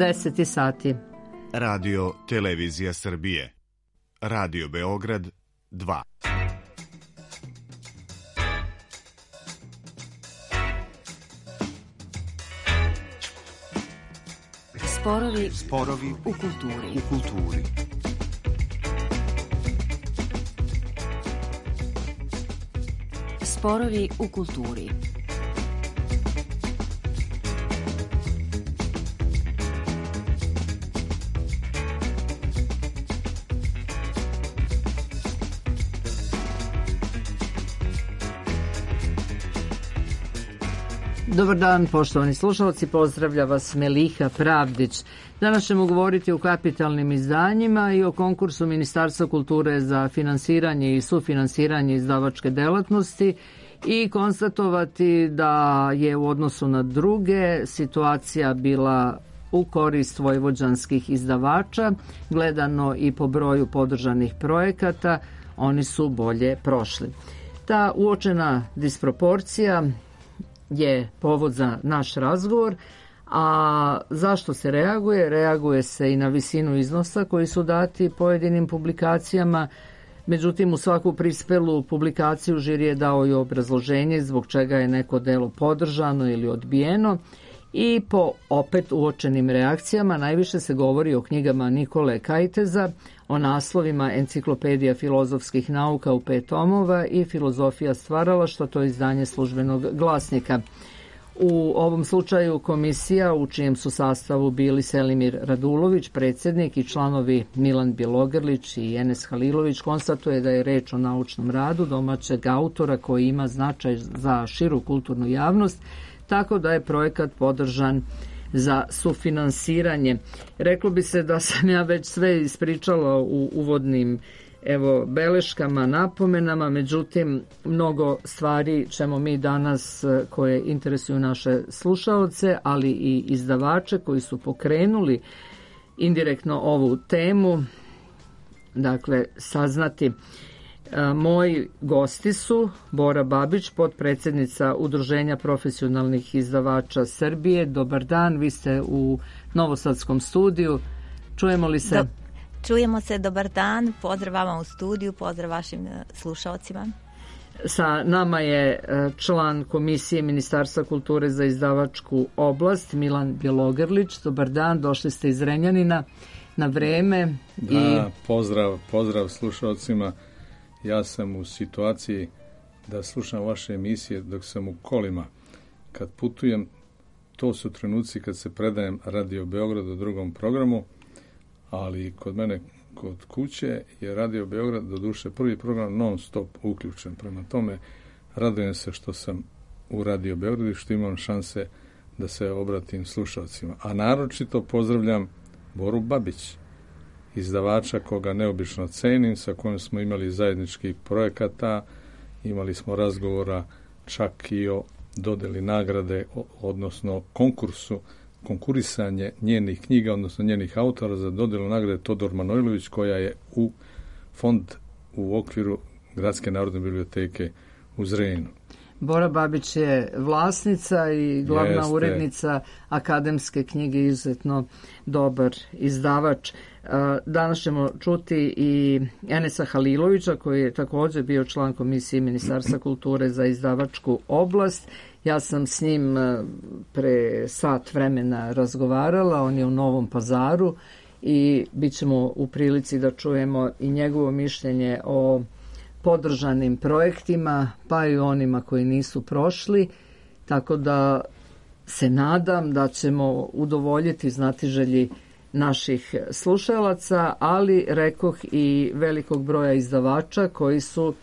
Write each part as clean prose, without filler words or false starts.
10 sati. Radio Televizija Srbije. Radio Beograd 2. Sporovi u kulturi. Sporovi u kulturi. Dobar dan, poštovani slušalci, pozdravlja vas Meliha Pravdić. Danas ćemo govoriti o kapitalnim izdanjima i o konkursu Ministarstva kulture za finansiranje i sufinansiranje izdavačke delatnosti i konstatovati da je u odnosu na druge situacija bila u korist vojvođanskih izdavača, gledano i po broju podržanih projekata, oni su bolje prošli. Ta uočena disproporcija je povod za naš razgovor, a zašto se reaguje? Reaguje se i na visinu iznosa koji su dati pojedinim publikacijama, međutim u svaku prispelu publikaciju žiri je dao i obrazloženje zbog čega je neko delo podržano ili odbijeno i po opet uočenim reakcijama najviše se govori o knjigama Nikole Kajteza, o naslovima Enciklopedija filozofskih nauka u 5 tomova i Filozofija stvaralaštva, to je izdanje Službenog glasnika. U ovom slučaju komisija, u čijem su sastavu bili Selimir Radulović, predsjednik, i članovi Milan Bjelogrlić i Enes Halilović, konstatuje da je reč o naučnom radu domaćeg autora koji ima značaj za širu kulturnu javnost, tako da je projekat podržan za sufinansiranje. Reklo bi se da sam ja već sve ispričala u uvodnim beleškama, napomenama, međutim mnogo stvari ćemo mi danas, koje interesuju naše slušaoce, ali i izdavače koji su pokrenuli indirektno ovu temu, dakle saznati. Moji gosti su Bora Babić, potpredsjednica Udruženja profesionalnih izdavača Srbije. Dobar dan, vi ste u Novosadskom studiju. Čujemo li se? Čujemo se, dobar dan. Pozdrav vama u studiju, pozdrav vašim slušalcima. Sa nama je član Komisije Ministarstva kulture za izdavačku oblast, Milan Bjelogrlić. Dobar dan, došli ste iz Renjanina na vreme. Da, pozdrav slušalcima. Ja sam u situaciji da slušam vaše emisije dok sam u kolima. Kad putujem, to su trenuci kad se predajem Radio Beograd u drugom programu, ali kod mene, kod kuće, je Radio Beograd, doduše prvi program non stop uključen. Prema tome, radujem se što sam u Radio Beogradu i što imam šanse da se obratim slušalcima. A naročito pozdravljam Boru Babić, izdavača koga neobično cenim, sa kojim smo imali zajedničkih projekata, imali smo razgovora čak i o dodeli nagrade, odnosno konkurisanje njenih knjiga, odnosno njenih autora za dodelu nagrade Todor Manojlović, koja je u fond u okviru Gradske narodne biblioteke u Zrenjaninu. Bora Babić je vlasnica i glavna urednica akademske knjige, izuzetno dobar izdavač. Danas ćemo čuti i Enesa Halilovića, koji je također bio član Komisije Ministarstva kulture za izdavačku oblast. Ja sam s njim pre sat vremena razgovarala, on je u Novom Pazaru i bit ćemo u prilici da čujemo i njegovo mišljenje o podržanim projektima, pa i onima koji nisu prošli, tako da se nadam da ćemo udovoljiti znatiželji naših slušalaca, ali rekoh i velikog broja izdavača koji su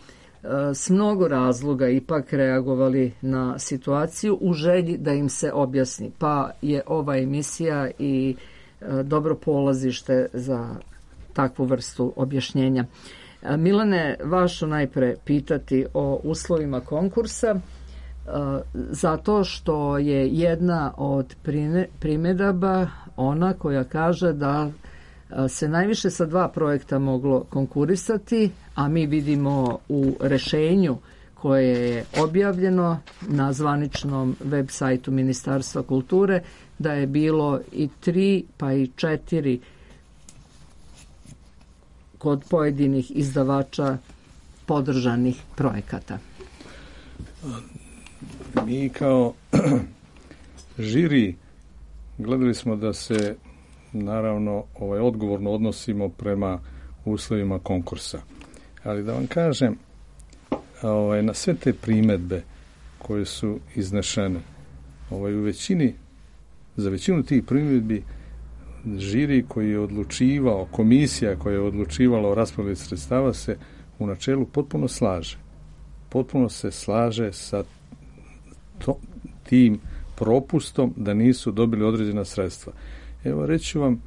s mnogo razloga ipak reagovali na situaciju u želji da im se objasni. Pa je ova emisija i dobro polazište za takvu vrstu objašnjenja. Milane, vašu najpre pitati o uslovima konkursa, zato što je jedna od primjedaba ona koja kaže da se najviše sa 2 projekta moglo konkurisati, a mi vidimo u rešenju koje je objavljeno na zvaničnom web sajtu Ministarstva kulture, da je bilo i 3 pa i 4 kod pojedinih izdavača podržanih projekata. Mi kao žiri gledali smo da se naravno odgovorno odnosimo prema uslovima konkursa. Ali da vam kažem, na sve te primjedbe koje su iznešene, za većinu tih primjedbi žiri koji je odlučivao, komisija koja je odlučivala o raspodjeli sredstava se u načelu potpuno slaže. Potpuno se slaže sa tim propustom da nisu dobili određena sredstva. Evo reći vam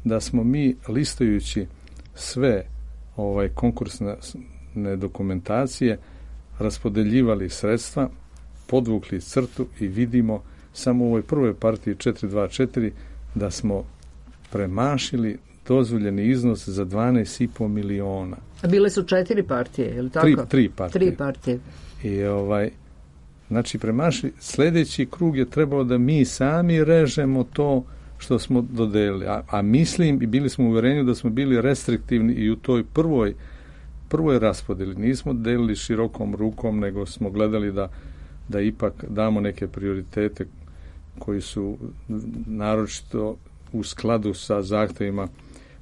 da smo mi listajući sve konkursne dokumentacije raspodeljivali sredstva, podvukli crtu i vidimo samo u ovoj prvoj partiji 424 da smo premašili dozvoljeni iznos za 12,5 miliona. A bile su 4 partije, je li tako? 3 partije. 3 partije. I znači premašili, sljedeći krug je trebalo da mi sami režemo to što smo dodelili. A mislim i bili smo u uvjerenju da smo bili restriktivni i u toj prvoj raspodjeli. Nismo delili širokom rukom, nego smo gledali da ipak damo neke prioritete koji su naročito u skladu sa zahtjevima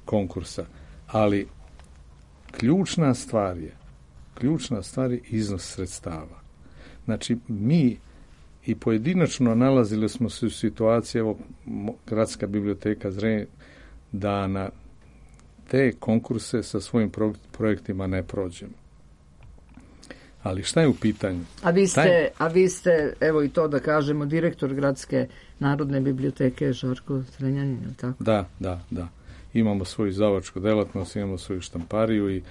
konkursa. Ali ključna stvar je iznos sredstava. Znači, mi i pojedinačno nalazili smo se u situaciji, evo, Gradska biblioteka Zrenjanin, da na te konkurse sa svojim projektima ne prođemo. Ali šta je u pitanju? A vi ste, evo i to da kažemo, direktor Gradske narodne biblioteke Žarko Zrenjanin, je li tako? Da. Imamo svoju izdavačku delatnost, imamo svoju štampariju i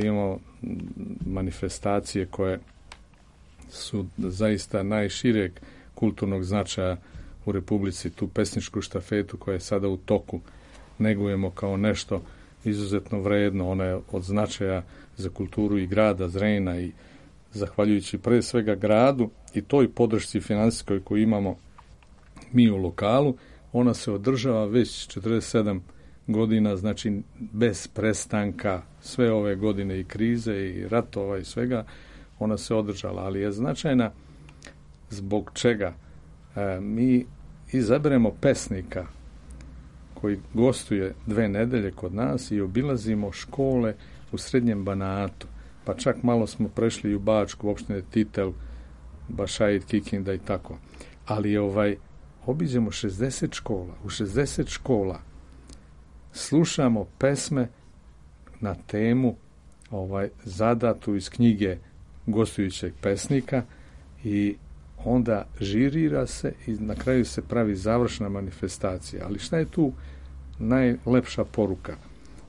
imamo manifestacije koje su zaista najšireg kulturnog značaja u Republici. Tu pesničku štafetu koja je sada u toku negujemo kao nešto izuzetno vredno. Ona je od značaja za kulturu i grada Zrenjanina i zahvaljujući pre svega gradu i toj podršci finansijskoj koju imamo mi u lokalu, ona se održava već 47 godina, znači bez prestanka, sve ove godine i krize i ratova i svega, ona se održala, ali je značajna zbog čega mi izaberemo pesnika koji gostuje 2 nedelje kod nas i obilazimo škole u Srednjem Banatu, pa čak malo smo prešli i u Bačku, opštine Titel, Bašajit, Kikinda i tako. Ali obiđemo 60 škola. U 60 škola slušamo pesme na temu zadatu iz knjige gostujućeg pesnika i onda žirira se i na kraju se pravi završna manifestacija. Ali šta je tu najlepša poruka?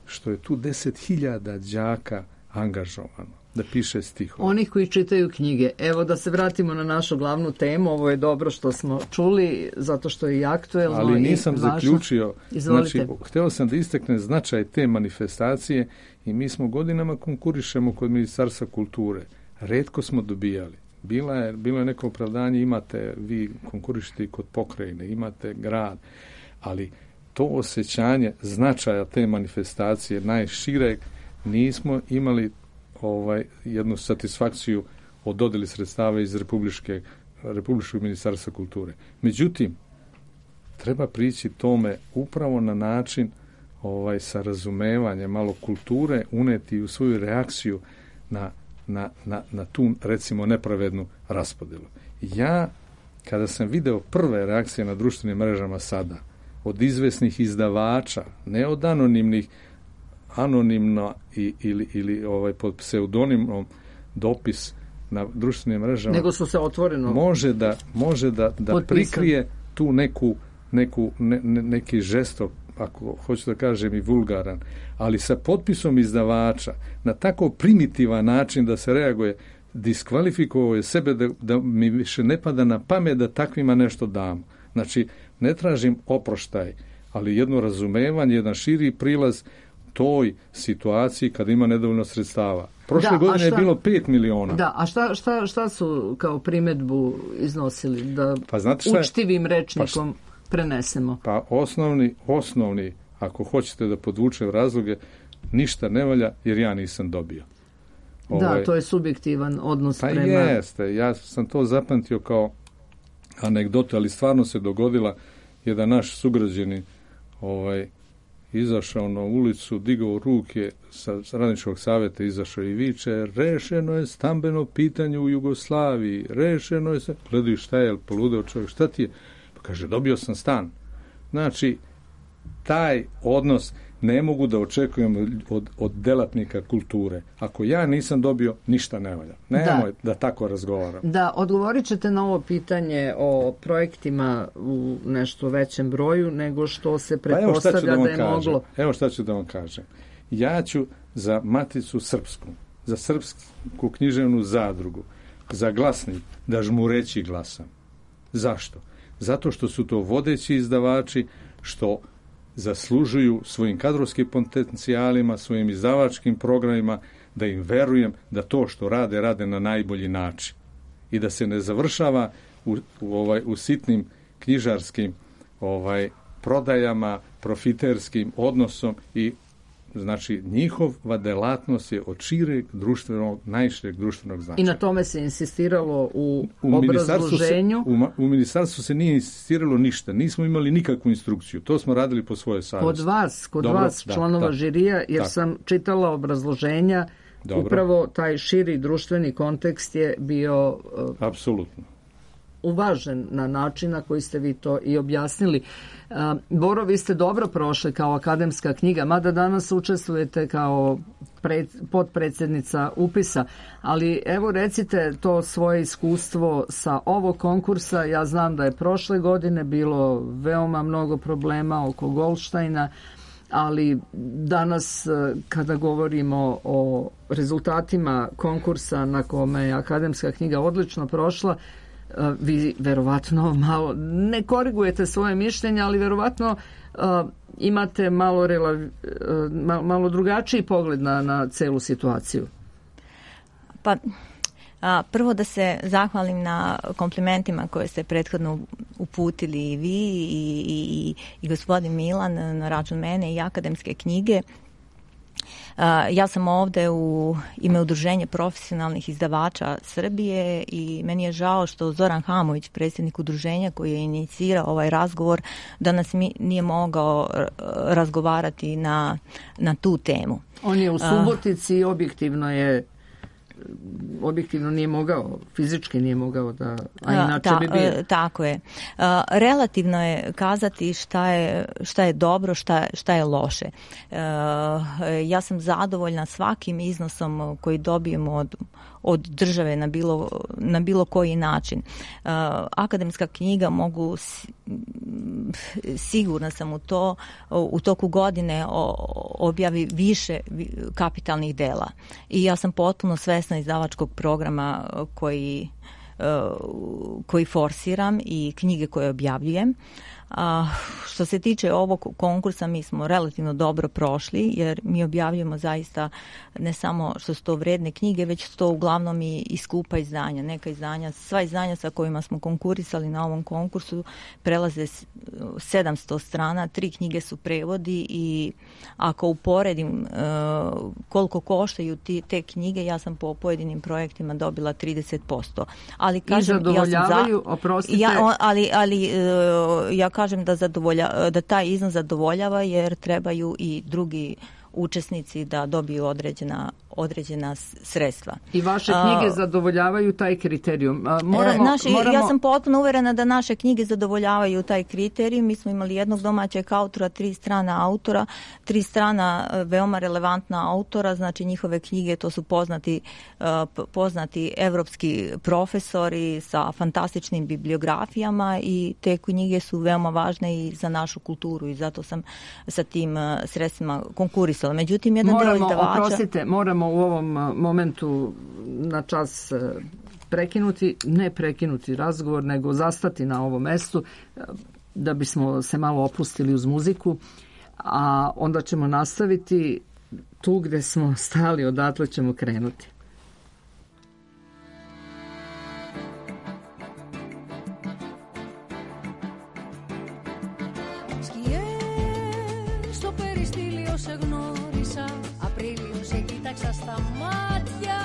Što je tu 10.000 đaka angažovano da piše stihove. Onih koji čitaju knjige. Evo da se vratimo na našu glavnu temu. Ovo je dobro što smo čuli, zato što je i aktuelno. Ali nisam zaključio. Izvolite. Znači, htio sam da istaknem značaj te manifestacije i mi smo godinama konkurišemo kod Ministarstva kulture. Retko smo dobijali. Bilo je neko opravdanje, imate, vi konkurišite kod pokrajine, imate grad, ali to osjećanje značaja te manifestacije najšireg nismo imali jednu satisfakciju od dodjeli sredstava iz Republičkog ministarstva kulture. Međutim, treba prići tome upravo na način sa razumevanjem, malo kulture uneti u svoju reakciju na tu, recimo, nepravednu raspodjelu. Ja, kada sam video prve reakcije na društvenim mrežama sada, od izvesnih izdavača, ne od anonimno ili pod pseudonimom dopis na društvenim mrežama, nego su se otvoreno može da prikrije tu neki žestok, ako hoću da kažem i vulgaran, ali sa potpisom izdavača na tako primitivan način da se reaguje, diskvalifikovao je sebe da mi više ne pada na pamet da takvima nešto dam. Znači, ne tražim oproštaj, ali jedno razumevanje, jedan širi prilaz toj situaciji kada ima nedovoljno sredstava. Prošle godine je bilo 5 miliona. Da, a šta su kao primjedbu iznosili? Da pa znate šta je? Učtivim rečnikom prenesemo. Pa osnovni, ako hoćete da podvučem razloge, ništa ne valja jer ja nisam dobio. Da, to je subjektivan odnos pa prema... jeste, ja sam to zapamtio kao anegdotu, ali stvarno se dogodila. Jedan naš sugrađanin izašao na ulicu, digao ruke sa radničkog savjeta, izašao i viče: rešeno je stambeno pitanje u Jugoslaviji, rešeno je se... Gledaju šta je, poludeo čovjek, šta ti je? Pa kaže, dobio sam stan. Znači, taj odnos ne mogu da očekujem od delatnika kulture. Ako ja nisam dobio, ništa ne valja. Nemoj da tako razgovaram. Da, odgovorit ćete na ovo pitanje o projektima u nešto većem broju nego što se pretpostavlja da je moglo. Evo šta ću da vam kažem. Ja ću za Maticu Srpsku, za Srpsku književnu zadrugu, za Glasnik da žmureći glasam. Zašto? Zato što su to vodeći izdavači, što zaslužuju svojim kadrovskim potencijalima, svojim izdavačkim programima, da im verujem da to što rade na najbolji način i da se ne završava u sitnim knjižarskim prodajama, profiterskim odnosom. I znači njihova delatnost je od šireg društvenog, najšireg društvenog značaja. I na tome se insistiralo u obrazloženju? U ministarstvu se nije insistiralo ništa. Nismo imali nikakvu instrukciju. To smo radili po svojoj savjesti. Kod vas, članova žirija, jer sam čitala obrazloženja, upravo taj širi društveni kontekst je bio... Apsolutno. Uvažen na način na koji ste vi to i objasnili. Boro, vi ste dobro prošli kao akademska knjiga, mada danas učestvujete kao potpredsjednica upisa, ali evo recite to svoje iskustvo sa ovog konkursa. Ja znam da je prošle godine bilo veoma mnogo problema oko Goldsteina, ali danas kada govorimo o rezultatima konkursa na kome je akademska knjiga odlično prošla, vi verovatno malo ne korigujete svoje mišljenje, ali verovatno imate malo drugačiji pogled na celu situaciju. Pa prvo da se zahvalim na komplimentima koje ste prethodno uputili i vi i gospodin Milan na račun mene i akademske knjige. Ja sam ovde u ime Udruženja profesionalnih izdavača Srbije i meni je žao što Zoran Hamović, predsjednik udruženja koji je inicirao ovaj razgovor, danas nije mogao razgovarati na tu temu. On je u Subotici i objektivno nije mogao, fizički nije mogao da, a inače bi bio. Tako je. Relativno je kazati šta je dobro, šta je loše. Ja sam zadovoljna svakim iznosom koji dobijemo od države na bilo koji način. Akademska knjiga sigurna sam u toku godine objavi više kapitalnih dela. I ja sam potpuno svesna izdavačkog programa koji forsiram i knjige koje objavljujem. Što se tiče ovog konkursa, mi smo relativno dobro prošli, jer mi objavljujemo zaista ne samo što su to vredne knjige, već su to uglavnom i skupa izdanja. Neka izdanja, sva izdanja sa kojima smo konkurisali na ovom konkursu prelaze 700 strana, 3 knjige su prevodi i ako uporedim koliko koštaju te knjige, ja sam po pojedinim projektima dobila 30%. Ali kažem, i zadovoljavaju, oprostite. Ja kažem da taj iznos zadovoljava, jer trebaju i drugi učesnici da dobiju određena sredstva. I vaše knjige zadovoljavaju taj kriterijum. Ja sam potpuno uverena da naše knjige zadovoljavaju taj kriterijum. Mi smo imali jednog domaćeg autora, 3 strana autora, 3 strana veoma relevantna autora, znači njihove knjige, to su poznati evropski profesori sa fantastičnim bibliografijama i te knjige su veoma važne i za našu kulturu i zato sam sa tim sredstvima konkurisala. Međutim, jedan deo izdavača... Moramo u ovom momentu na čas ne prekinuti razgovor, nego zastati na ovom mestu da bismo se malo opustili uz muziku, a onda ćemo nastaviti tu gde smo stali, odatle ćemo krenuti. Στο περιστήλιο σε γνώρισα, Απρίλιο σε κοίταξα στα μάτια.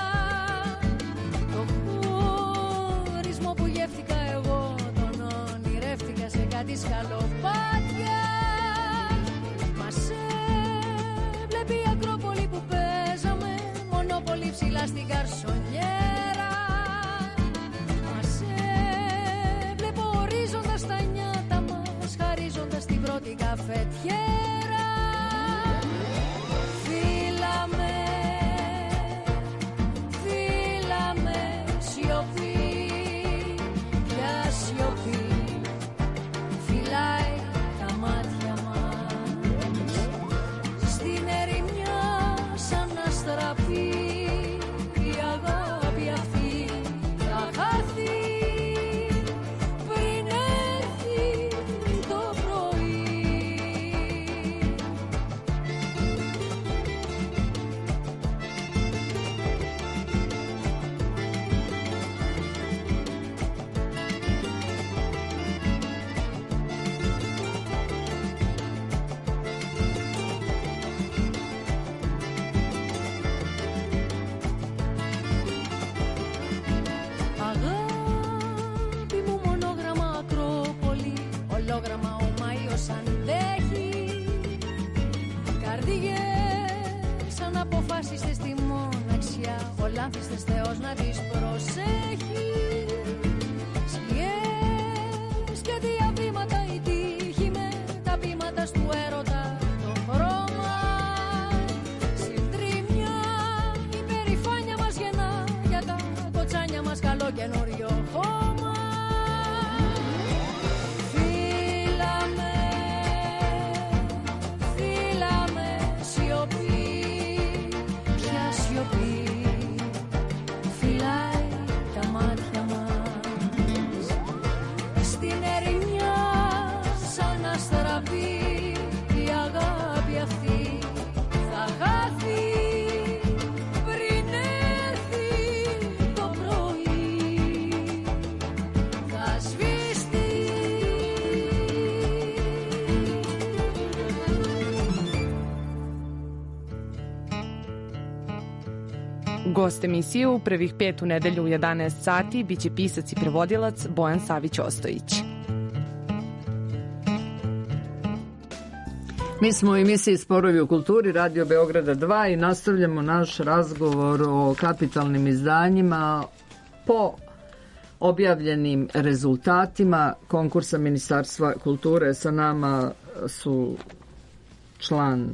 Το χωρισμό που γεύτηκα εγώ, τον ονειρεύτηκα σε κάτι σκαλοπάτια. Μας έβλεπε η Ακρόπολη που παίζαμε, μονόπολη ψηλά στην καρσονιέρα. Μας έβλεπε ορίζοντας τα νιάτα μας, χαρίζοντας την πρώτη καφετιέρα. Φύλαμε, σιωπή, πια σιωπή, φυλάει τα μάτια μας. Στην ερημιά σαν να στραπεί, η αγάπη αυτή θα χαθεί πριν έρθει το πρωί. Αγάπη μου, μονόγραμμα Ακρόπολη, ολόγραμμα ο Μάιος αντέχει. Καρδιές σαν αποφάσιστες στη μοναξιά, ο λάμφιστες Θεός να τις προσέχει. Σκιές και διαβήματα η τύχη με τα βήματα του έρωτα το χρώμα. Συντρίμια η περηφάνεια μας γεννά, για τα κοτσάνια μας καλό καινούριο χώμα. Φύλαμε, σιωπή, πια σιωπή, φυλάει τα μάτια μας. Στην ερημιά σαν να στραβεί, η αγάπη αυτή θα χάθει πριν έρθει το πρωί. Θα σβήσει. Gost emisije u prvih 5 u nedelju u 11 sati biće pisac i prevodilac Bojan Savić-Ostojić. Mi smo u emisiji Sporovi u kulturi Radio Beograda 2 i nastavljamo naš razgovor o kapitalnim izdanjima po objavljenim rezultatima konkursa Ministarstva kulture. Sa nama su član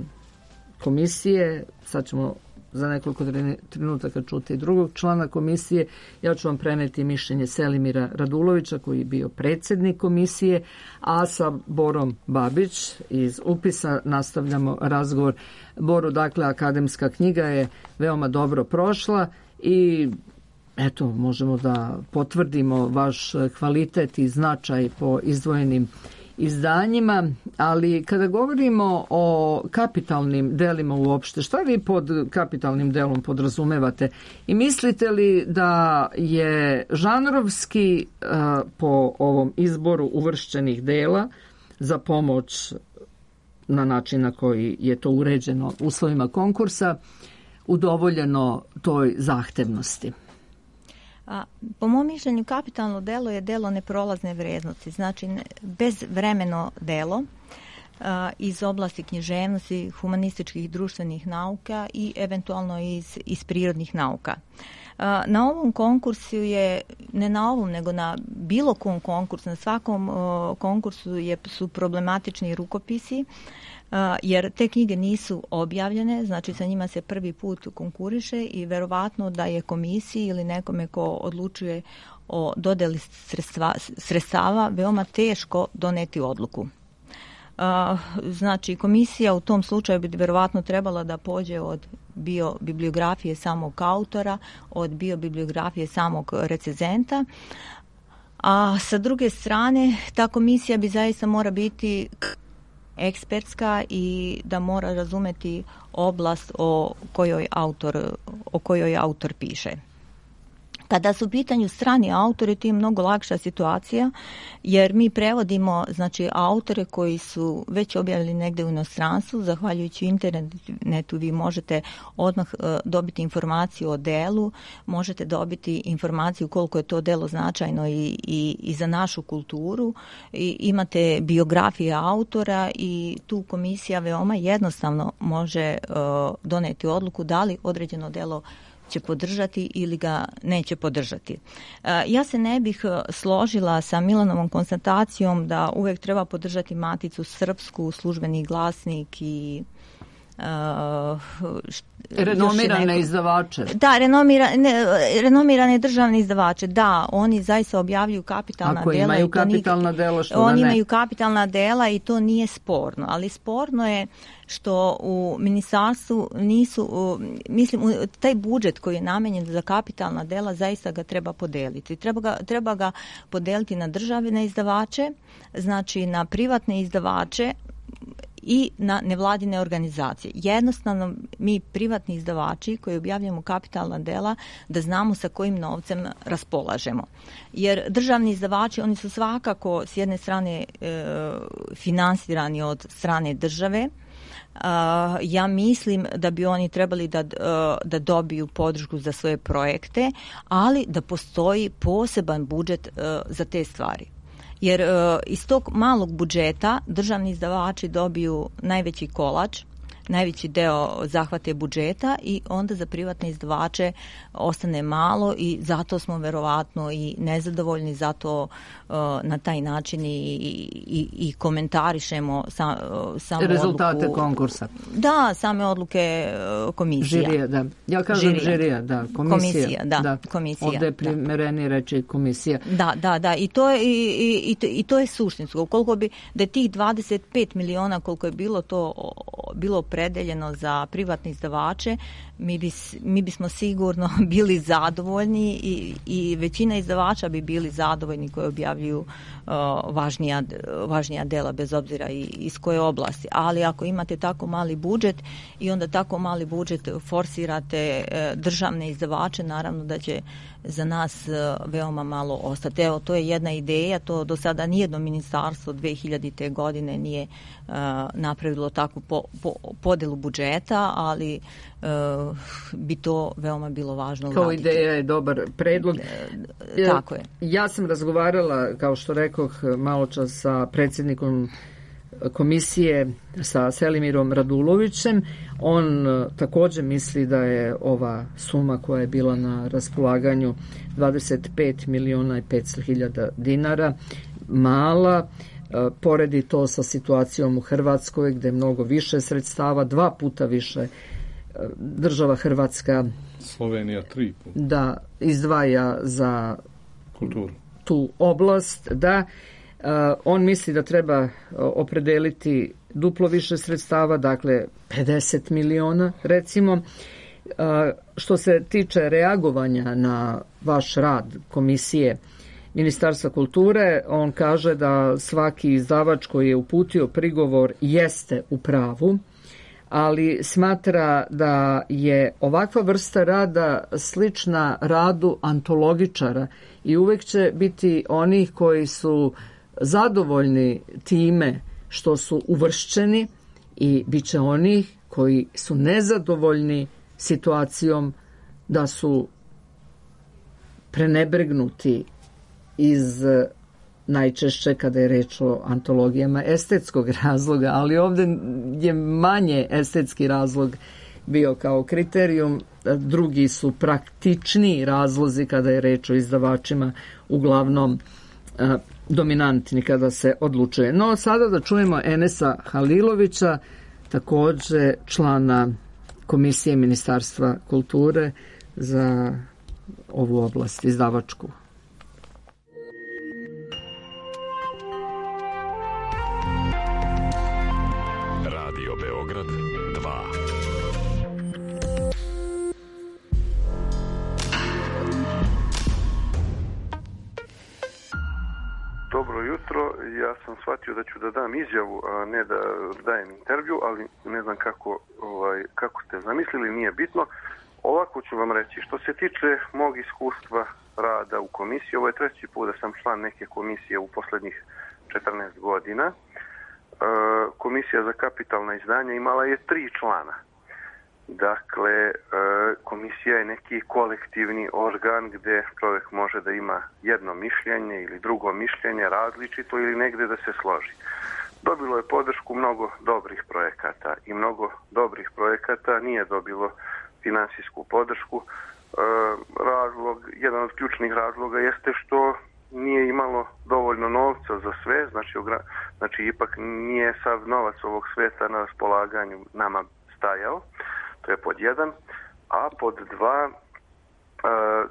komisije, sad ćemo za nekoliko trenutaka čuti drugog člana komisije. Ja ću vam preneti mišljenje Selimira Radulovića, koji je bio predsjednik komisije, a sa Borom Babić iz Upisa nastavljamo razgovor. Boru, dakle, akademska knjiga je veoma dobro prošla i eto, možemo da potvrdimo vaš kvalitet i značaj po izdvojenim izdanjima, ali kada govorimo o kapitalnim delima uopšte, šta vi pod kapitalnim delom podrazumevate i mislite li da je žanrovski po ovom izboru uvršćenih dela za pomoć na način na koji je to uređeno uslovima konkursa udovoljeno toj zahtevnosti? Po mom mišljenju kapitalno delo je delo neprolazne vrednosti, znači bezvremeno delo iz oblasti književnosti, humanističkih i društvenih nauka i eventualno iz prirodnih nauka. Na ovom konkursu je, ne na ovom, nego na bilo kom konkursu, na svakom konkursu su problematični rukopisi, jer te knjige nisu objavljene, znači sa njima se prvi put konkuriše i verovatno da je komisiji ili nekome ko odlučuje o dodeli sredstava veoma teško doneti odluku. Znači, komisija u tom slučaju bi verovatno trebala da pođe od biobibliografije samog autora, od biobibliografije samog recenzenta, a sa druge strane ta komisija bi zaista mora biti ekspertska i da mora razumeti oblast o kojoj autor piše. Kada su u pitanju strani autori, to je mnogo lakša situacija, jer mi prevodimo, znači, autore koji su već objavili negde u inostranstvu. Zahvaljujući internetu vi možete odmah dobiti informaciju o delu, možete dobiti informaciju koliko je to delo značajno i za našu kulturu. I imate biografije autora i tu komisija veoma jednostavno može doneti odluku da li određeno delo će podržati ili ga neće podržati. Ja se ne bih složila sa Milanovom konstatacijom da uvek treba podržati Maticu srpsku, Službeni glasnik i renomirane izdavače. Da, renomirane državne izdavače. Da, oni zaista objavljuju kapitalna dela. Ako imaju kapitalna dela, što da ne? Oni imaju kapitalna dela i to nije sporno. Ali sporno je što u ministarstvu nisu, mislim, taj budžet koji je namenjen za kapitalna dela, zaista ga treba podeliti. Treba ga podeliti na državne izdavače, znači na privatne izdavače i na nevladine organizacije. Jednostavno, mi privatni izdavači koji objavljamo kapitalna dela, da znamo sa kojim novcem raspolažemo. Jer državni izdavači, oni su svakako s jedne strane finansirani od strane države. Ja mislim da bi oni trebali da dobiju podršku za svoje projekte, ali da postoji poseban budžet za te stvari. Jer iz tog malog budžeta državni izdavači dobiju najveći kolač, najveći deo zahvate budžeta i onda za privatne izdavače ostane malo i zato smo verovatno i nezadovoljni, zato na taj način i komentarišemo samu rezultate odluku konkursa. Da, same odluke komisija. Žirija, da. Ja kažem žirija, da. Komisija, da. Komisija. Ovdje je primerenije reći komisija. Da. I to je suštinsko. Ukoliko bi da je tih 25 miliona koliko je bilo predeljeno za privatne izdavače, mi bismo sigurno bili zadovoljni i većina izdavača bi bili zadovoljni koji objavljuju važnija dela, bez obzira iz koje oblasti. Ali ako imate tako mali budžet i onda tako mali budžet forsirate državne izdavače, naravno da će za nas veoma malo ostati. Evo, to je jedna ideja, to do sada nijedno ministarstvo 2000. godine nije napravilo takvu podelu budžeta, ali bi to veoma bilo važno kao uraditi. Ideja je dobar predlog. Tako je. Ja sam razgovarala, kao što rekoh malo čas, sa predsjednikom komisije, sa Selimirom Radulovićem. On također misli da je ova suma koja je bila na raspolaganju 25 miliona i 500 hiljada dinara mala. Poredi to sa situacijom u Hrvatskoj gdje je mnogo više sredstava, 2 puta više država Hrvatska, Slovenija 3 puta, da izdvaja za kulturu, tu oblast. Da, on misli da treba opredeliti duplo više sredstava, dakle 50 miliona recimo. Što se tiče reagovanja na vaš rad komisije Ministarstva kulture, on kaže da svaki izdavač koji je uputio prigovor jeste u pravu, ali smatra da je ovakva vrsta rada slična radu antologičara i uvek će biti onih koji su zadovoljni time što su uvršćeni i bit će onih koji su nezadovoljni situacijom da su prenebregnuti iz najčešće kada je reč o antologijama estetskog razloga, ali ovdje je manje estetski razlog bio kao kriterijum, drugi su praktičniji razlozi kada je reč o izdavačima, uglavnom dominantni kada se odlučuje. No sada da čujemo Enesa Halilovića, također člana Komisije Ministarstva kulture za ovu oblast izdavačku. Radio Beograd 2. Dobro jutro ja sam shvatio da ću da dam izjavu, a ne da dajem intervju, ali ne znam kako ste zamislili, nije bitno. Ovako ću vam reći, što se tiče mog iskustva rada u komisiji, ovo je 3. put da sam član neke komisije u posljednjih 14 godina. Komisija za kapitalna izdanja imala je 3 člana. Dakle, komisija je neki kolektivni organ gdje čovjek može da ima jedno mišljenje ili drugo mišljenje različito ili negdje da se složi. Dobilo je podršku mnogo dobrih projekata i mnogo dobrih projekata nije dobilo financijsku podršku. Jedan od ključnih razloga jeste što nije imalo dovoljno novca za sve, znači ipak nije sav novac ovog sveta na raspolaganju nama stajao. To je pod 1, a pod 2,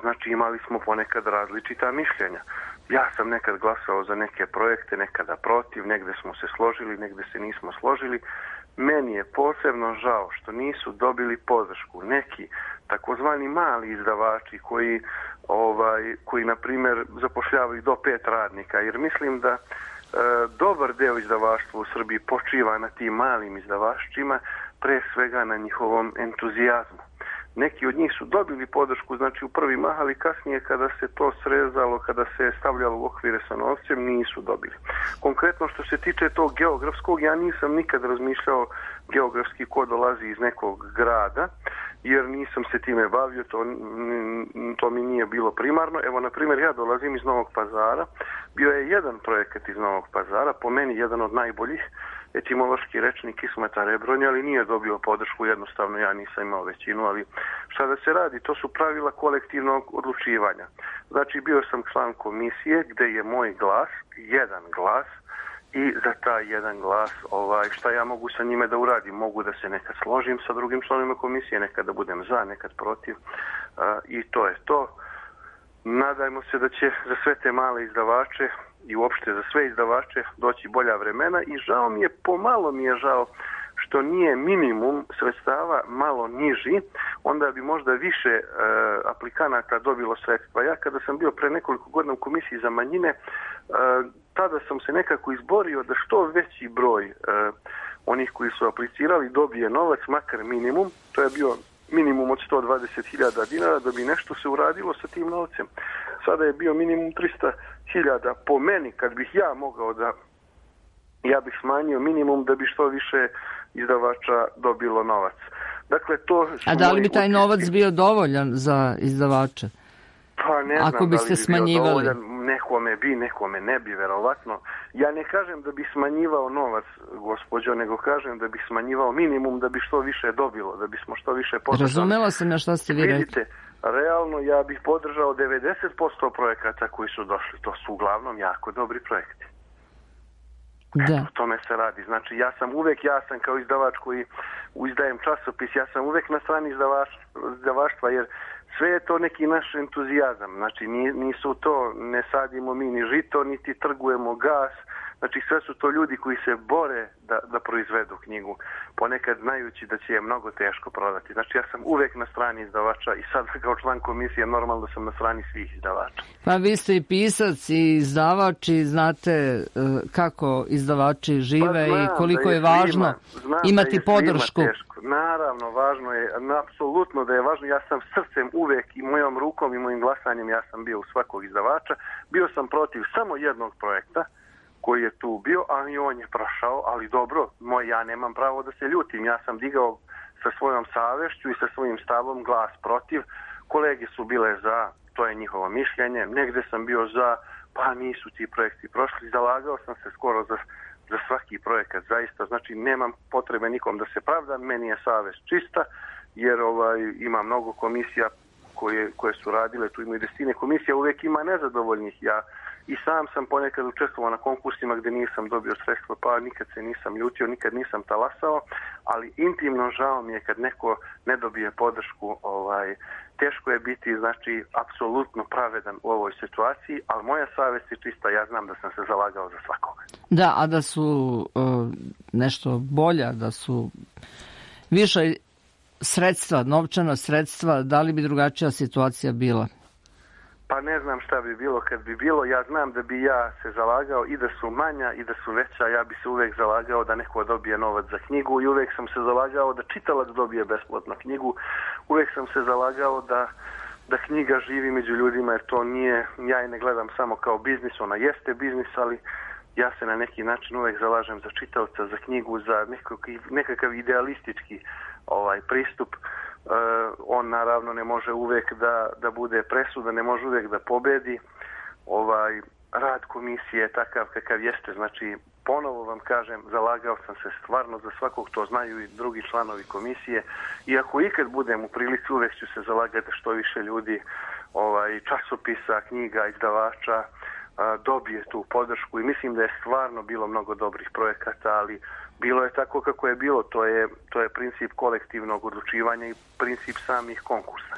znači imali smo ponekad različita mišljenja. Ja sam nekad glasao za neke projekte, nekada protiv, negdje smo se složili, negdje se nismo složili. Meni je posebno žao što nisu dobili podršku neki takozvani mali izdavači koji na primjer zapošljavaju do 5 radnika, jer mislim da dobar deo izdavaštva u Srbiji počiva na tim malim izdavašćima, pre svega na njihovom entuzijazmu. Neki od njih su dobili podršku, znači u prvi mah, ali kasnije kada se to srezalo, kada se stavljalo u okvire sa novcem, nisu dobili. Konkretno što se tiče tog geografskog, ja nisam nikad razmišljao geografski ko dolazi iz nekog grada, jer nisam se time bavio, to mi nije bilo primarno. Evo, na primjer, ja dolazim iz Novog Pazara, bio je jedan projekat iz Novog Pazara, po meni jedan od najboljih, etimološki rečnik Ismeta Rebronja, ali nije dobio podršku, jednostavno ja nisam imao većinu, ali šta da se radi, to su pravila kolektivnog odlučivanja. Znači, bio sam član komisije gdje je moj glas, jedan glas, i za taj jedan glas, šta ja mogu sa njime da uradim? Mogu da se nekad složim sa drugim članovima komisije, nekad da budem za, nekad protiv, i to je to. Nadajmo se da će za sve te male izdavače i uopšte za sve izdavače doći bolja vremena i pomalo mi je žao što nije minimum sredstava malo niži, onda bi možda više aplikanata dobilo sredstva. Ja kada sam bio pre nekoliko godina u komisiji za manjine, tada sam se nekako izborio da što veći broj onih koji su aplicirali dobije novac, makar minimum, to je bio minimum od 120.000 dinara da bi nešto se uradilo sa tim novcem. Sada je bio minimum 300.000 po meni, kad bih ja mogao ja bih smanjio minimum da bi što više izdavača dobilo novac. Dakle, a da li bi taj novac bio dovoljan za izdavače? Pa ne znam, ako biste smanjivali. Nekome ne bi, verovatno. Ja ne kažem da bi smanjivao novac, gospođo, nego kažem da bi smanjivao minimum da bi što više dobilo, da bismo što više podržali. Razumela sam na šta ste vi rekli. Vidite, realno ja bih podržao 90% projekata koji su došli. To su uglavnom jako dobri projekti. Da. O tome se radi. Znači, ja sam kao izdavač koji izdajem časopis, ja sam uvek na strani izdavaštva, jer sve je to neki naš entuzijazam. Znači, nisu to, ne sadimo mi ni žito, niti trgujemo gas. Znači, sve su to ljudi koji se bore da proizvedu knjigu, ponekad znajući da će je mnogo teško prodati. Znači, ja sam uvek na strani izdavača i sad kao član komisije normalno da sam na strani svih izdavača. Pa vi ste i pisac i izdavač i znate kako izdavači žive i koliko je važno imati podršku. Naravno, važno je, apsolutno da je važno. Ja sam srcem uvek i mojom rukom i mojim glasanjem, ja sam bio u svakog izdavača. Bio sam protiv samo jednog projekta koji je tu bio, a i on je prošao, ali dobro, ja nemam pravo da se ljutim. Ja sam digao sa svojom savešću i sa svojim stavom glas protiv. Kolege su bile za, to je njihovo mišljenje. Negde sam bio za, pa nisu ti projekti prošli. Zalagao sam se skoro za svaki projekat, zaista. Znači, nemam potrebe nikom da se pravdam, meni je savest čista, jer ima mnogo komisija koje su radile, tu ima i desetine komisija, uvijek ima nezadovoljnih. Ja i sam sam ponekad učestvovao na konkursima gdje nisam dobio sredstva, pa nikad se nisam ljutio, nikad nisam talasao, ali intimno žao mi je kad neko ne dobije podršku. Teško je biti, znači, apsolutno pravedan u ovoj situaciji, ali moja savjest je čista, ja znam da sam se zalagao za svakoga. Da, a da su nešto bolja, da su više sredstva, novčana sredstva, da li bi drugačija situacija bila? Pa ne znam šta bi bilo kad bi bilo. Ja znam da bi ja se zalagao i da su manja i da su veća. Ja bi se uvek zalagao da neko dobije novac za knjigu i uvek sam se zalagao da čitalac dobije besplatno knjigu. Uvek sam se zalagao da knjiga živi među ljudima, jer to nije, ja je ne gledam samo kao biznis, ona jeste biznis, ali ja se na neki način uvek zalažem za čitaoca, za knjigu, za nekakav idealistički pristup. On naravno ne može uvek da bude presuda, ne može uvek da pobedi. Rad komisije je takav kakav jeste, znači ponovo vam kažem, zalagao sam se stvarno za svakog, to znaju i drugi članovi komisije, i ako ikad budem u prilici, uvek ću se zalagati što više ljudi, časopisa, knjiga, izdavača dobije tu podršku, i mislim da je stvarno bilo mnogo dobrih projekata, ali bilo je tako kako je bilo, to je princip kolektivnog odlučivanja i princip samih konkursa.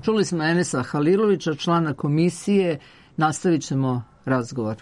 Čuli smo Enesa Halilovića, člana komisije, nastavit ćemo razgovor.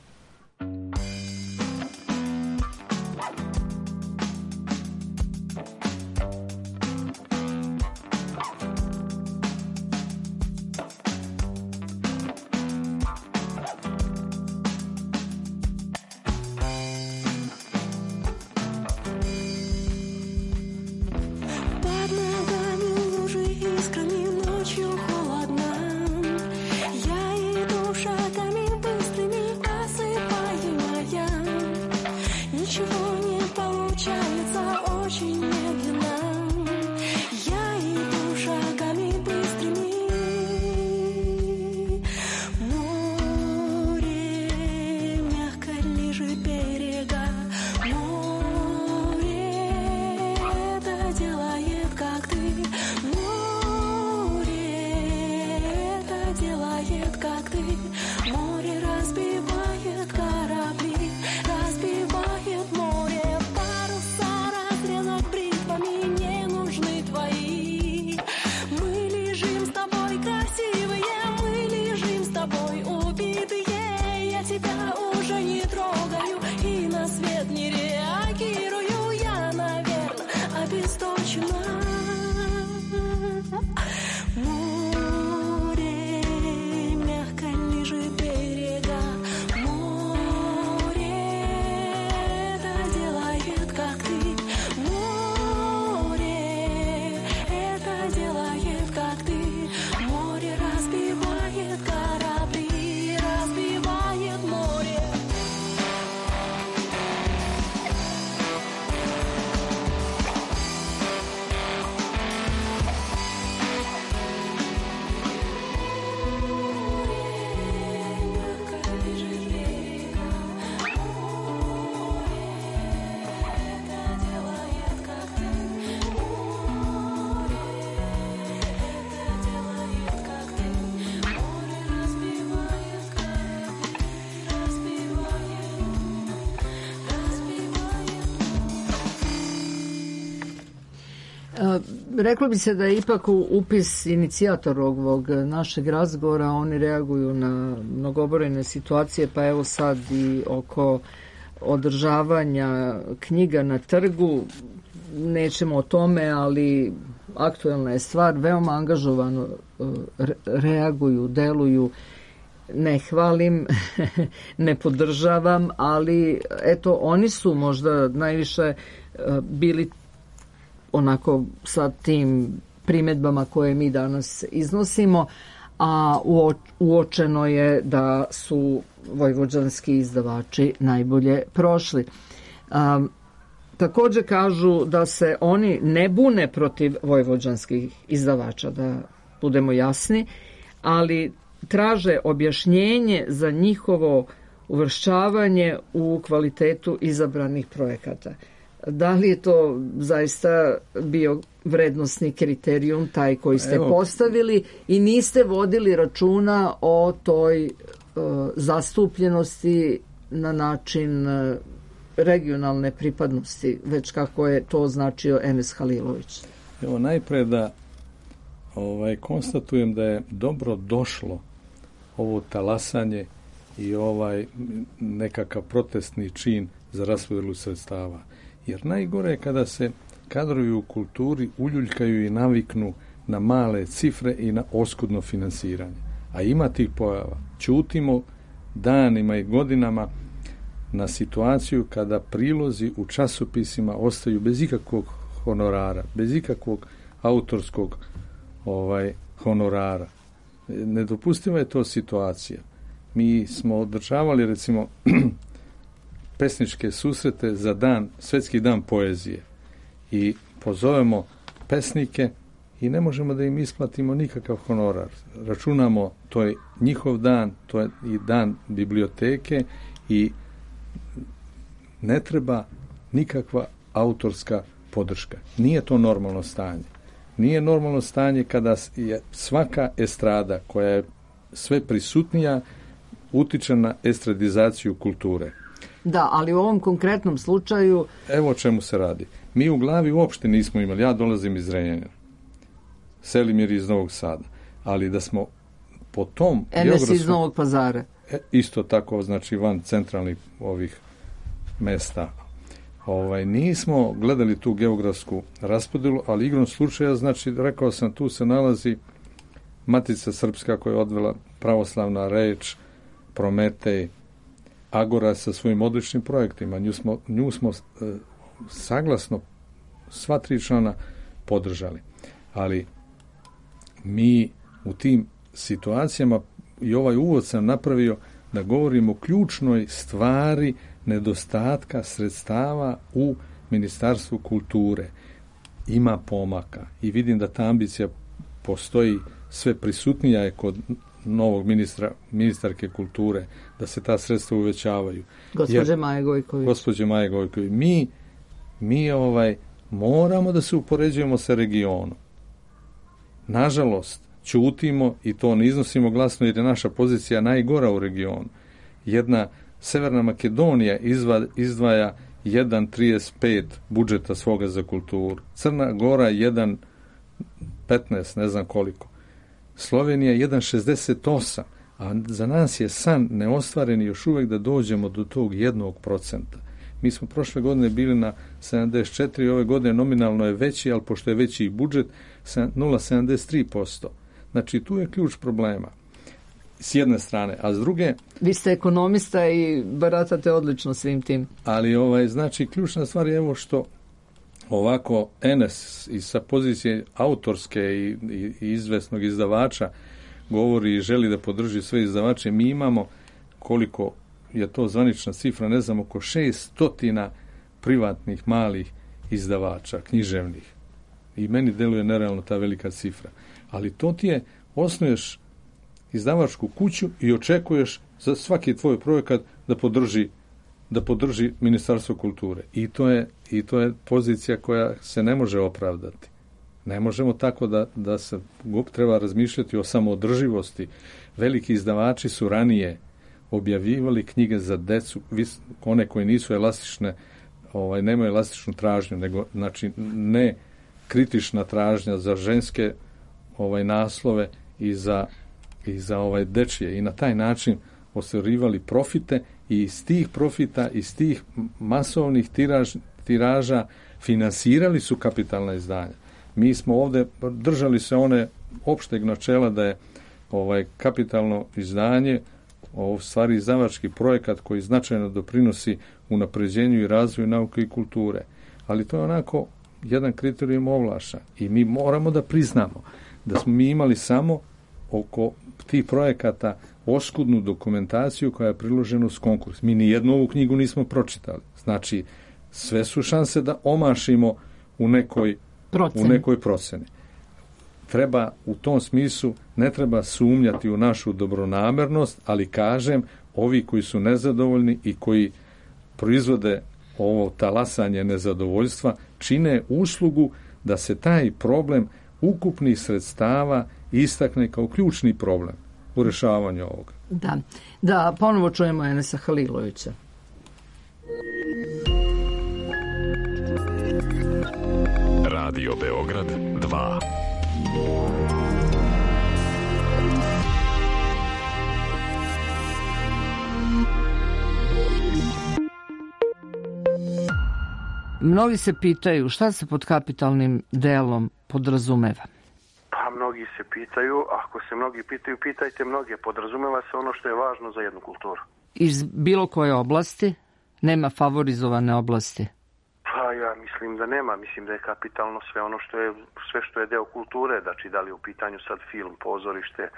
Reklo bi se da je ipak upis inicijator ovog našeg razgovora, oni reaguju na mnogobrojne situacije, pa evo sad i oko održavanja knjiga na trgu, nećemo o tome, ali aktuelna je stvar, veoma angažovano reaguju, deluju, ne hvalim, ne podržavam, ali eto, oni su možda najviše bili onako sa tim primjedbama koje mi danas iznosimo, a uočeno je da su vojvođanski izdavači najbolje prošli. Također kažu da se oni ne bune protiv vojvođanskih izdavača, da budemo jasni, ali traže objašnjenje za njihovo uvršćavanje u kvalitetu izabranih projekata. Da li je to zaista bio vrednosni kriterijum taj koji ste postavili i niste vodili računa o toj zastupljenosti na način regionalne pripadnosti, već kako je to označio Enes Halilović? Evo, najpre da konstatujem da je dobro došlo ovo talasanje i nekakav protestni čin za raspodjelu sredstava. Jer najgore je kada se kadrovi u kulturi uljuljkaju i naviknu na male cifre i na oskudno finansiranje. A ima tih pojava. Ćutimo danima i godinama na situaciju kada prilozi u časopisima ostaju bez ikakvog honorara, bez ikakvog autorskog honorara. Nedopustiva je to situacija. Mi smo održavali, recimo, pesničke susrete za Svetski dan poezije i pozovemo pesnike i ne možemo da im isplatimo nikakav honorar. Računamo, to je njihov dan, to je i dan biblioteke i ne treba nikakva autorska podrška. Nije to normalno stanje. Nije normalno stanje kada je svaka estrada koja je sve prisutnija utiče na estradizaciju kulture. Da, ali u ovom konkretnom slučaju... Evo o čemu se radi. Mi u glavi uopšte nismo imali, ja dolazim iz Zrenjanina, Selimir iz Novog Sada, ali da smo po tom... Enes iz Novog Pazara. Isto tako, znači van centralnih ovih mesta. Nismo gledali tu geografsku raspodelu, ali igrom slučaja, znači, rekao sam, tu se nalazi Matica Srpska koja je odvela pravoslavna reč, Prometej, Agora sa svojim odličnim projektima. Nju smo saglasno sva 3 člana podržali. Ali mi u tim situacijama, i ovaj uvod sam napravio da govorimo o ključnoj stvari nedostatka sredstava u Ministarstvu kulture. Ima pomaka i vidim da ta ambicija postoji, sve prisutnija je kod novog ministarke kulture, da se ta sredstva uvećavaju. Gospođe Maje Gojković. Mi moramo da se upoređujemo sa regionom. Nažalost, ćutimo i to ne iznosimo glasno jer je naša pozicija najgora u regionu. Jedna Severna Makedonija izdvaja 1,35 budžeta svoga za kulturu. Crna Gora 1,15, ne znam koliko. Slovenija 1,68, a za nas je san neostvaren još uvijek da dođemo do tog 1%. Mi smo prošle godine bili na 74, ove godine nominalno je veći, ali pošto je veći i budžet, 0,73%. Znači, tu je ključ problema. S jedne strane, a s druge... Vi ste ekonomista i baratate odlično svim tim. Ali, znači, ključna stvar je evo što ovako Enes i sa pozicije autorske i izvesnog izdavača govori i želi da podrži sve izdavače. Mi imamo, koliko je to zvanična cifra, ne znam, oko 600 privatnih malih izdavača, književnih. I meni deluje nerealno ta velika cifra. Ali to ti je, osnuješ izdavačku kuću i očekuješ za svaki tvoj projekat da podrži Ministarstvo kulture. I to je pozicija koja se ne može opravdati. Ne možemo tako da se treba razmišljati o samoodrživosti. Veliki izdavači su ranije objavljivali knjige za decu, one koje nisu elastične, nemaju elastičnu tražnju, nego znači ne kritična tražnja za ženske naslove i za dečije. I na taj način ostvarivali profite i iz tih profita, iz tih masovnih tiraža finansirali su kapitalna izdanja. Mi smo ovdje držali se one opšteg načela da je kapitalno izdanje u stvari izdavački projekat koji značajno doprinosi unapređenju i razvoju nauke i kulture. Ali to je onako jedan kriterijum ovlaša i mi moramo da priznamo da smo mi imali samo oko tih projekata oskudnu dokumentaciju koja je priložena uz konkurs. Mi nijednu ovu knjigu nismo pročitali. Znači, sve su šanse da omašimo u nekoj proceni. Treba u tom smislu, ne treba sumnjati u našu dobronamernost, ali kažem, ovi koji su nezadovoljni i koji proizvode ovo talasanje nezadovoljstva, čine uslugu da se taj problem ukupnih sredstava istakne kao ključni problem u rješavanju ovoga. Da, ponovo čujemo Enesa Halilovića. Radio Beograd 2. Mnogi se pitaju šta se pod kapitalnim delom podrazumeva. Pa mnogi mnogi se pitaju, ako se mnogi pitaju, pitajte mnoge, podrazumeva se ono što je važno za jednu kulturu. Iz bilo koje oblasti? Nema favorizovane oblasti? Pa ja mislim da nema, mislim da je kapitalno sve što je deo kulture, znači da li je u pitanju sad film, pozorište,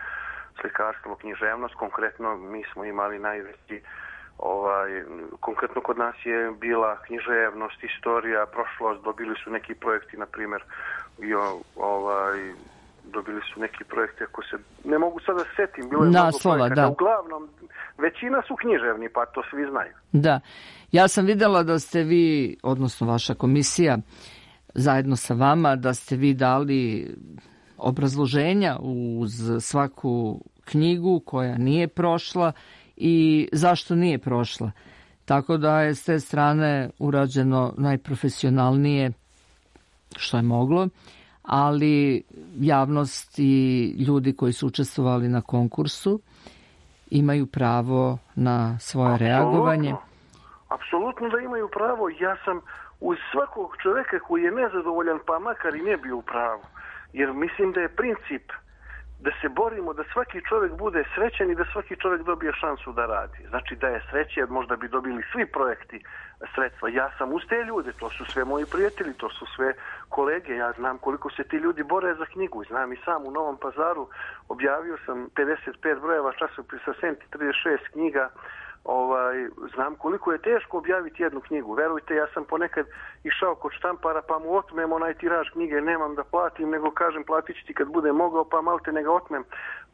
slikarstvo, književnost, konkretno mi smo imali najveći, konkretno kod nas je bila književnost, istorija, prošlost, dobili su neki projekti, na primjer, dobili su neki projekti, ako se, ne mogu sada da setim, bilo je naslova, mnogo projekata, da. Uglavnom, većina su književni, pa to svi znaju. Da, ja sam videla da ste vi, odnosno vaša komisija, zajedno sa vama, da ste vi dali obrazloženja uz svaku knjigu koja nije prošla i zašto nije prošla. Tako da je s te strane urađeno najprofesionalnije što je moglo, ali javnost i ljudi koji su učestvovali na konkursu imaju pravo na svoje reagovanje. Apsolutno da imaju pravo. Ja sam uz svakog čoveka koji je nezadovoljan, pa makar i ne bio u pravu. Jer mislim da je princip da se borimo da svaki čovjek bude srećan i da svaki čovjek dobije šansu da radi. Znači da je srećan, možda bi dobili svi projekti sredstva. Ja sam uz te ljude, to su sve moji prijatelji, to su sve kolege. Ja znam koliko se ti ljudi bore za knjigu. Znam i sam u Novom Pazaru objavio sam 55 brojeva časopisa Senti, 36 knjiga. Znam koliko je teško objaviti jednu knjigu. Verujte, ja sam ponekad išao kod štampara pa mu otmem onaj tiraž knjige, nemam da platim, nego kažem platit ću ti kad bude mogao, pa malte ne ga otmem.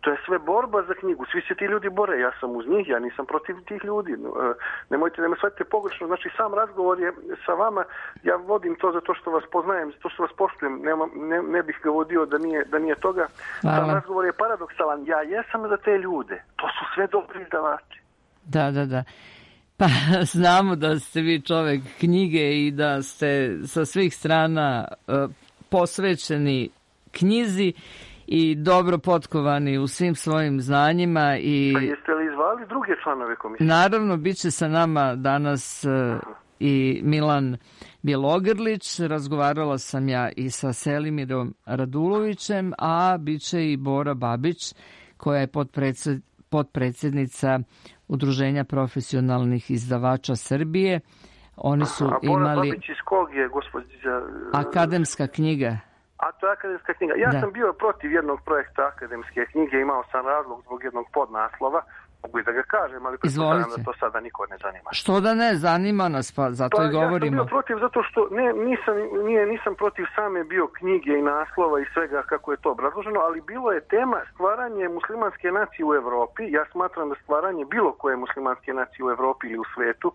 To je sve borba za knjigu. Svi se ti ljudi bore, ja sam uz njih, ja nisam protiv tih ljudi. Nemojte da me shvatite pogrešno. Znači sam razgovor je sa vama, ja vodim to zato što vas poznajem, zato što vas poštujem, ne bih ga vodio da nije toga. Sam razgovor je paradoksalan. Ja jesam za te ljude. To su sve dobri izdavači. Da. Pa znamo da ste vi čovek knjige i da ste sa svih strana posvećeni knjizi i dobro potkovani u svim svojim znanjima. Pa jeste li zvali druge članove komisije? Naravno, bit će sa nama danas i Milan Bjelogrlić, razgovarala sam ja i sa Selimirom Radulovićem, a bit će i Bora Babić, koja je potpredsjednica Udruženja profesionalnih izdavača Srbije. Oni su Bora Babić iz kog je, gospođa? Akademska knjiga. A to je akademska knjiga. Ja sam bio protiv jednog projekta akademske knjige, imao sam razlog zbog jednog podnaslova, mogu i da ga kažem, ali pretpostavljam da to sada niko ne zanima. Što da ne, zanima nas, pa zato i govorimo. Ja sam bio protiv zato što nisam protiv same bio knjige i naslova i svega kako je to obrazloženo, ali bilo je tema stvaranje muslimanske nacije u Evropi. Ja smatram da stvaranje bilo koje muslimanske nacije u Evropi ili u svetu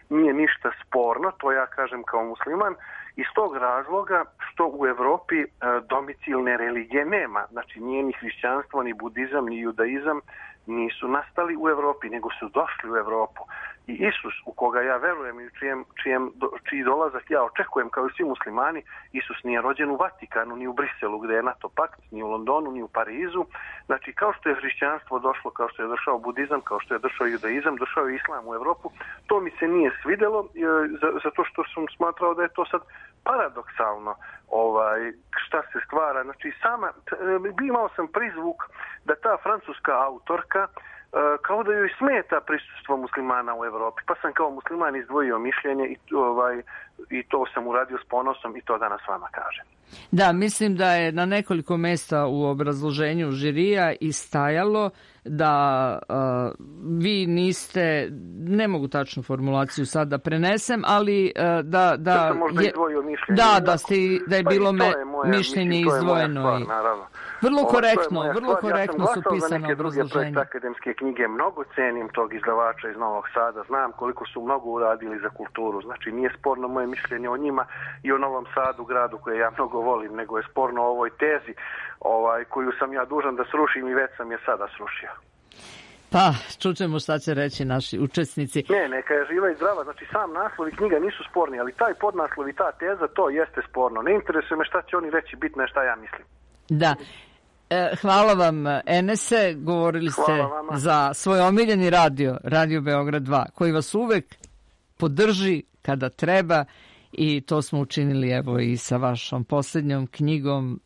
nije ništa sporno, to ja kažem kao musliman, iz tog razloga što u Evropi domicilne religije nema. Znači nije ni hrišćanstvo, ni budizam, ni judaizam nisu nastali u Evropi, nego su došli u Evropu. I Isus, u koga ja verujem i čiji dolazak ja očekujem kao i svi muslimani, Isus nije rođen u Vatikanu, ni u Briselu gdje je NATO pakt, ni u Londonu, ni u Parizu. Znači kao što je hrišćanstvo došlo, kao što je došao budizam, kao što je došao judaizam, došao je islam u Evropu, to mi se nije svidjelo zato što sam smatrao da je to sad paradoksalno šta se stvara. Znači imao sam prizvuk da ta francuska autorka kao da joj smeta prisustvo muslimana u Evropi. Pa sam kao musliman izdvojio mišljenje i to sam uradio s ponosom i to danas vama kažem. Da, mislim da je na nekoliko mjesta u obrazloženju žirija istajalo da vi niste, ne mogu tačnu formulaciju sad da prenesem, ali da sam možda izdvojio mišljenje. Da je bilo mišljenje izdvojeno. Vrlo korektno su pisane obrazloženje. Ja sam glasao za neke druge projekte akademske knjige, mnogo cenim tog izdavača iz Novog Sada, znam koliko su mnogo uradili za kulturu, znači nije sporno moje mišljenje o njima i o Novom Sadu, gradu koje ja mnogo volim, nego je sporno o ovoj tezi koju sam ja dužan da srušim i već sam je sada srušio. Pa, čućemo šta će reći naši učesnici. Neka je živa i zdrava, znači sam naslov i knjiga nisu sporni, ali taj podnaslov i ta teza, to jeste sporno. Ne interesuje me šta će oni reći, bitno je šta ja mislim. Da. Hvala vam, Enese, govorili ste za svoj omiljeni Radio Beograd 2, koji vas uvek podrži kada treba i to smo učinili evo i sa vašom posljednjom knjigom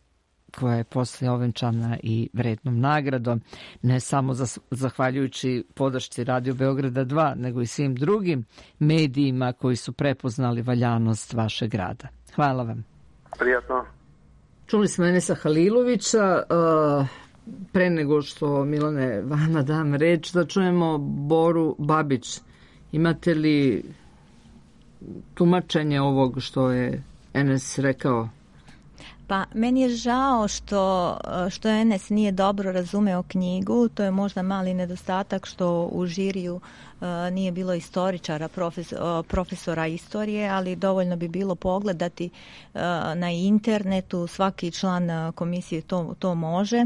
koja je poslije ovenčana i vrednom nagradom, ne samo zahvaljujući podršci Radio Beograda 2, nego i svim drugim medijima koji su prepoznali valjanost vašeg rada. Hvala vam. Prijatno. Čuli smo Enesa Halilovića. Pre nego što, Milane, vama dam reč, da čujemo Boru Babić. Imate li tumačenje ovog što je Enes rekao? Pa meni je žao što Enes nije dobro razumeo knjigu. To je možda mali nedostatak što u žiriju nije bilo istoričara, profesora istorije, ali dovoljno bi bilo pogledati na internetu, svaki član komisije to može,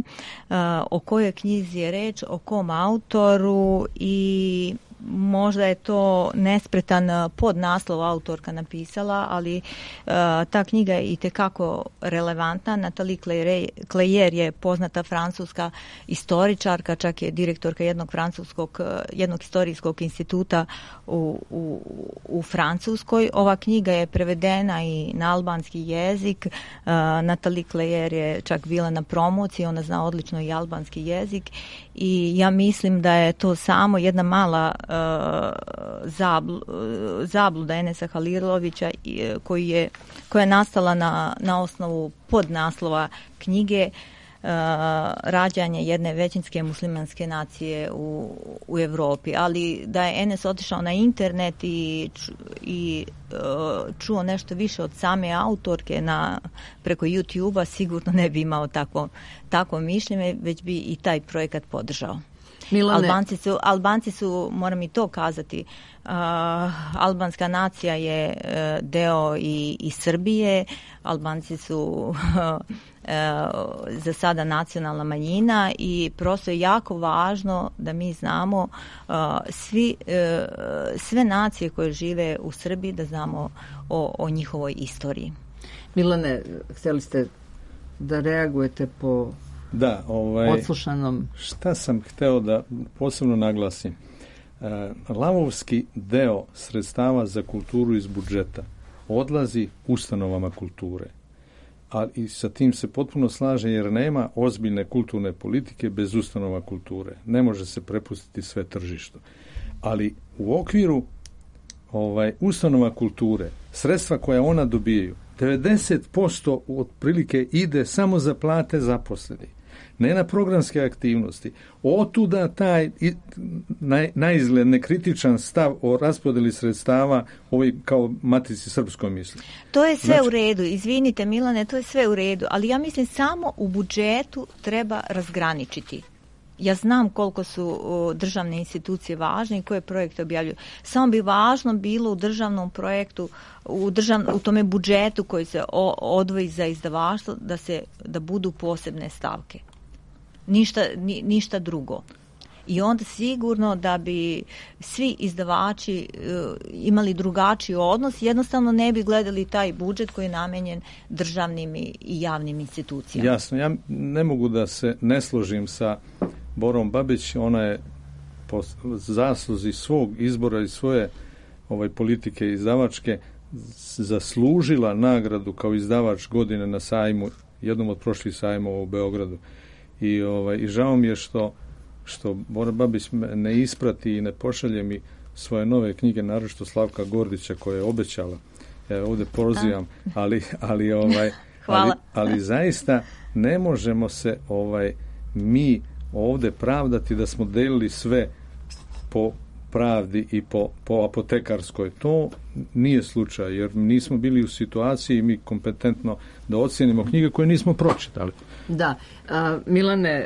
o kojoj knjizi je reč, o kom autoru, i možda je to nespretan podnaslov autorka napisala, ali ta knjiga je itekako relevantna. Nathalie Cleyer je poznata francuska istoričarka, čak je direktorka jednog historijskog instituta u Francuskoj. Ova knjiga je prevedena i na albanski jezik. Nathalie Cleyer je čak bila na promociji, ona zna odlično i albanski jezik, i ja mislim da je to samo jedna mala zabluda Enesa Halilovića koja je nastala na osnovu podnaslova knjige rađanje jedne većinske muslimanske nacije u Evropi. Ali da je Enes otišao na internet i čuo nešto više od same autorke preko YouTube-a, sigurno ne bi imao takvo mišljenje, već bi i taj projekat podržao. Milane. Albanci su, moram i to kazati, albanska nacija je deo i Srbije. Albanci su za sada nacionalna manjina i prosto je jako važno da mi znamo sve nacije koje žive u Srbiji, da znamo o njihovoj istoriji. Milane, htjeli ste da reagujete po odslušanom? Šta sam hteo da posebno naglasim? Lavovski deo sredstava za kulturu iz budžeta odlazi ustanovama kulture. Ali sa tim se potpuno slaže, jer nema ozbiljne kulturne politike bez ustanova kulture. Ne može se prepustiti sve tržištu. Ali u okviru ustanova kulture, sredstva koja ona dobijaju, 90% otprilike ide samo za plate zaposlenih, ne na programske aktivnosti. Otuda taj naizgled nekritičan stav o raspodeli sredstava kao Matici srpskoj misli. To je sve u redu, izvinite Milane, to je sve u redu, ali ja mislim samo u budžetu treba razgraničiti. Ja znam koliko su državne institucije važne i koje projekte objavljuju. Samo bi važno bilo u državnom projektu, u tome budžetu koji se odvoji za izdavaštvo, da budu posebne stavke. Ništa drugo. I onda sigurno da bi svi izdavači imali drugačiji odnos, jednostavno ne bi gledali taj budžet koji je namenjen državnim i javnim institucijama. Jasno, ja ne mogu da se ne složim sa Borom Babić. Ona je po zasluzi svog izbora i svoje politike izdavačke zaslužila nagradu kao izdavač godine na sajmu, jednom od prošlih sajmova u Beogradu. I žao mi je što Bora Babić ne isprati i ne pošalje mi svoje nove knjige, naročito Slavka Gordića koja je obećala. Ja ovdje pozivam, ali zaista ne možemo se mi ovdje pravdati da smo delili sve po pravdi i po apotekarskoj. To nije slučaj, jer nismo bili u situaciji mi kompetentno da ocijenimo knjige koje nismo pročitali. Da. Milane,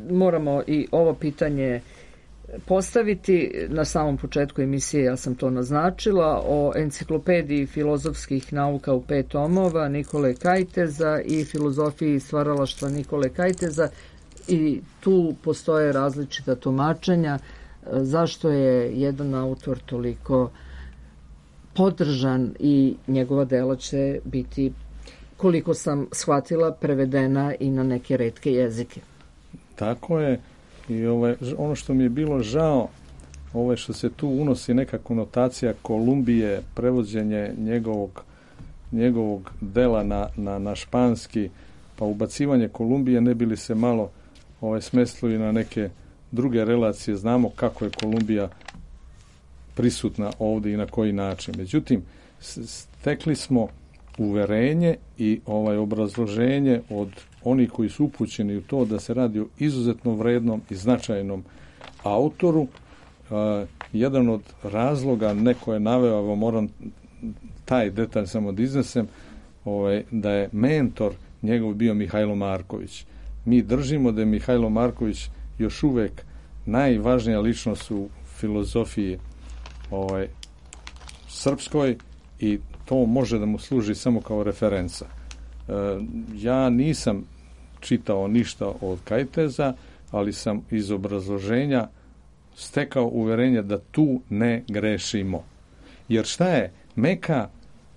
moramo i ovo pitanje postaviti. Na samom početku emisije ja sam to naznačila, o enciklopediji filozofskih nauka u 5 tomova Nikole Kajteza i filozofiji stvaralaštva Nikole Kajteza, i tu postoje različita tumačenja zašto je jedan autor toliko podržan i njegova dela će biti, koliko sam shvatila, prevedena i na neke retke jezike. Tako je. I ono što mi je bilo žao, što se tu unosi neka konotacija Kolumbije, prevođenje njegovog dela na španski, pa ubacivanje Kolumbije ne bi li se malo smestilo i na neke druge relacije. Znamo kako je Kolumbija prisutna ovdje i na koji način. Međutim, stekli smo uverenje i obrazloženje od onih koji su upućeni u to da se radi o izuzetno vrednom i značajnom autoru. Jedan od razloga, neko je naveo, moram taj detalj samo da iznesem, da je mentor njegov bio Mihajlo Marković. Mi držimo da je Mihajlo Marković još uvek najvažnija ličnost u filozofiji srpskoj i to može da mu služi samo kao referenca. Ja nisam čitao ništa od Kajteza, ali sam iz obrazloženja stekao uverenje da tu ne grešimo. Jer šta je? Meka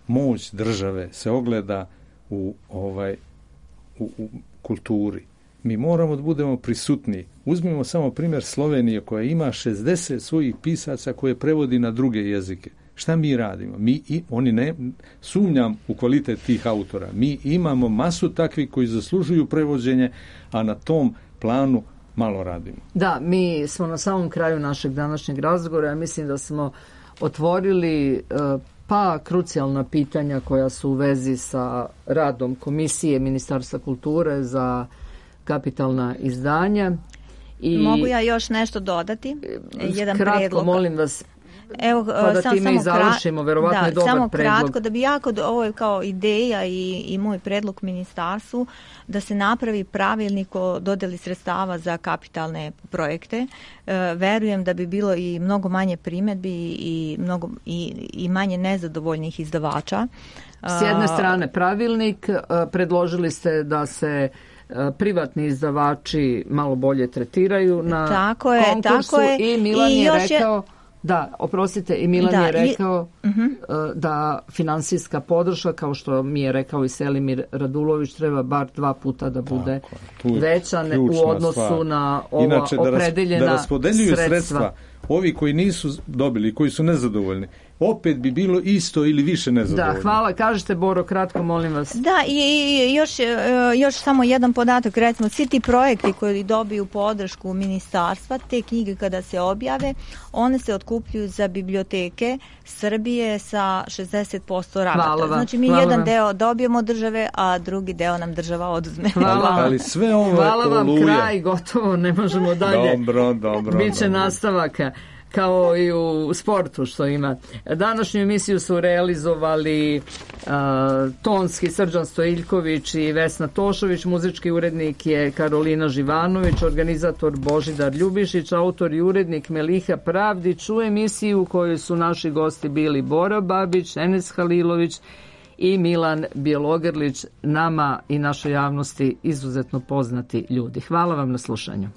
moć države se ogleda u kulturi. Mi moramo da budemo prisutni. Uzmimo samo primjer Slovenije koja ima 60 svojih pisaca koje prevodi na druge jezike. Šta mi radimo? Oni ne sumnjam u kvalitet tih autora. Mi imamo masu takvih koji zaslužuju prevođenje, a na tom planu malo radimo. Da, mi smo na samom kraju našeg današnjeg razgovora. Ja mislim da smo otvorili krucijalna pitanja koja su u vezi sa radom Komisije Ministarstva kulture za kapitalna izdanja. Mogu ja još nešto dodati? Jedan kratko, predlog. Molim vas. Evo, pa da time i završimo, verovatno je dobar samo predlog. Kratko, da bi ovo je kao ideja i moj predlog ministarstvu, da se napravi pravilnik o dodeli sredstava za kapitalne projekte. Verujem da bi bilo i mnogo manje primjedbi i manje nezadovoljnih izdavača. S jedne strane pravilnik, predložili ste da se privatni izdavači malo bolje tretiraju na konkursu i Milan je rekao... Da, oprostite, i Milan je rekao da finansijska podrška, kao što mi je rekao i Selimir Radulović, treba bar 2 puta da bude veća u odnosu na ova opredeljena da raspodeljuju sredstva. Ovi koji nisu dobili, koji su nezadovoljni, opet bi bilo isto ili više nezadovoljno. Da, hvala. Kažete, Boro, kratko, molim vas. Da, i još samo jedan podatak. Recimo, svi ti projekti koji dobiju podršku ministarstva, te knjige kada se objave, one se otkupljuju za biblioteke Srbije sa 60% rabata. Znači, mi jedan deo dobijemo države, a drugi deo nam država oduzme. Ali sve ovo hvala vam, kraj, gotovo, ne možemo dalje. Dobro. Biće nastavaka. Kao i u sportu što ima. Današnju emisiju su realizovali tonski Srđan Stojiljković i Vesna Tošović, muzički urednik je Karolina Živanović, organizator Božidar Ljubišić, autor i urednik Meliha Pravdić. U emisiji u kojoj su naši gosti bili Bora Babić, Enes Halilović i Milan Bjelogrlić, nama i našoj javnosti izuzetno poznati ljudi. Hvala vam na slušanju.